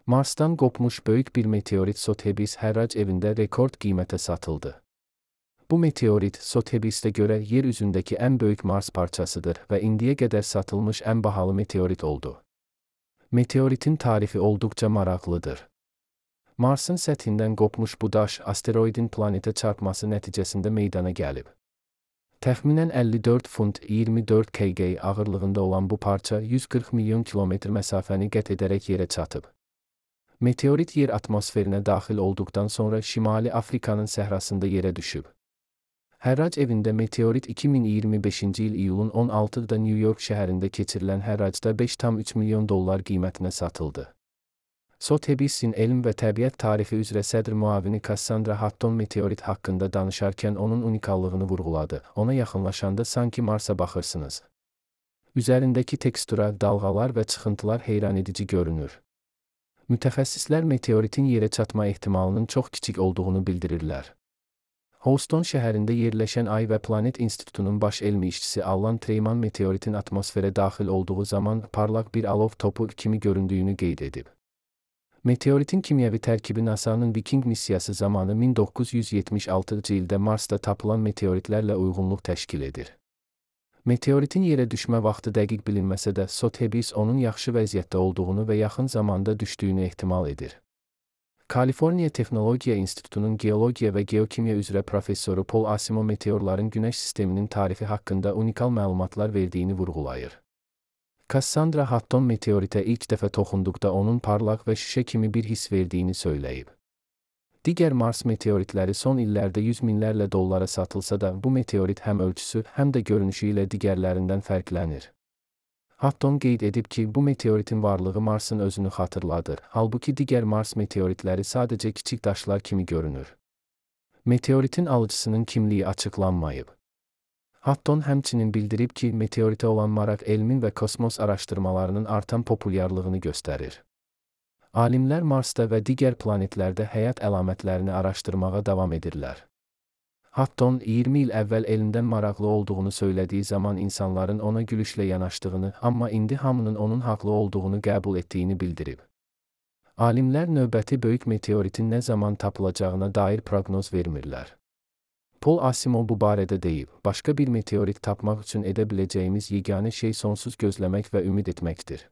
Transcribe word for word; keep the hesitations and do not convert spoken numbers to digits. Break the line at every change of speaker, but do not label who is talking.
Marsdan qopmuş böyük bir meteorit Sotheby's hərrac evində rekord qiymətə satıldı. Bu meteorit, Sotheby's'ə görə yer üzündəki ən böyük Mars parçasıdır və indiyə qədər satılmış ən bahalı meteorit oldu. Meteoritin tarifi olduqca maraqlıdır. Marsın səthindən qopmuş bu daş, asteroidin planetə çarpması nəticəsində meydana gəlib. Təxminən əlli dörd funt iyirmi dörd kiloqram ağırlığında olan bu parça yüz qırx milyon kilometr məsafəni qət edərək yerə çatıb. Meteorit yer atmosferinə daxil olduqdan sonra Şimali Afrikanın səhrasında yerə düşüb. Hərrac evində meteorit iki min iyirmi beşinci il iyulun on altıda New York şəhərində keçirilən hərracda beş tam üç milyon dollar qiymətinə satıldı. Sotheby's'in elm və təbiət tarixi üzrə sədr müavini Cassandra Hutton meteorit haqqında danışarkən onun unikallığını vurğuladı. Ona yaxınlaşanda sanki Marsa baxırsınız. Üzərindəki tekstura, dalğalar və çıxıntılar heyranedici görünür. Mütəxəssislər meteoritin yerə çatma ehtimalının çox kiçik olduğunu bildirirlər. Houston şəhərində yerləşən Ay və Planet İnstitutunun baş elmi işçisi Alan Treyman meteoritin atmosferə daxil olduğu zaman parlaq bir alov topu kimi göründüyünü qeyd edib. Meteoritin kimyəvi tərkibi NASA'nın Viking missiyası zamanı min doqquz yüz yetmiş altıncı ildə Marsda tapılan meteoritlərlə uyğunluq təşkil edir. Meteoritin yerə düşmə vaxtı dəqiq bilinməsə də, Sotheby's onun yaxşı vəziyyətdə olduğunu və yaxın zamanda düşdüyünü ehtimal edir. Kaliforniya Texnologiya İnstitutunun geologiya və geokimya üzrə professoru Paul Asimov meteorların Günəş sisteminin tarifi haqqında unikal məlumatlar verdiyini vurğulayır. Cassandra Hutton meteoritə ilk dəfə toxunduqda onun parlaq və şüşə kimi bir hiss verdiyini söyləyib. Digər Mars meteoritləri son illərdə yüz minlərlə dollara satılsa da, bu meteorit həm ölçüsü, həm də görünüşü ilə digərlərindən fərqlənir. Hutton qeyd edib ki, bu meteoritin varlığı Marsın özünü xatırladır, halbuki digər Mars meteoritləri sadəcə kiçik daşlar kimi görünür. Meteoritin alıcısının kimliyi açıqlanmayıb. Hutton həmçinin bildirib ki, meteoritə olan maraq elmin və kosmos araşdırmalarının artan populyarlığını göstərir. Alimlər Marsda və digər planetlərdə həyat əlamətlərini araşdırmağa davam edirlər. Hutton iyirmi il əvvəl elmdən maraqlı olduğunu söylediyi zaman insanların ona gülüşlə yanaşdığını, amma indi hamının onun haqlı olduğunu qəbul etdiyini bildirib. Alimlər növbəti böyük meteoritin nə zaman tapılacağına dair proqnoz vermirlər. Paul Asimov bu barədə deyib, başqa bir meteorit tapmaq üçün edə biləcəyimiz yeganə şey sonsuz gözləmək və ümid etməkdir.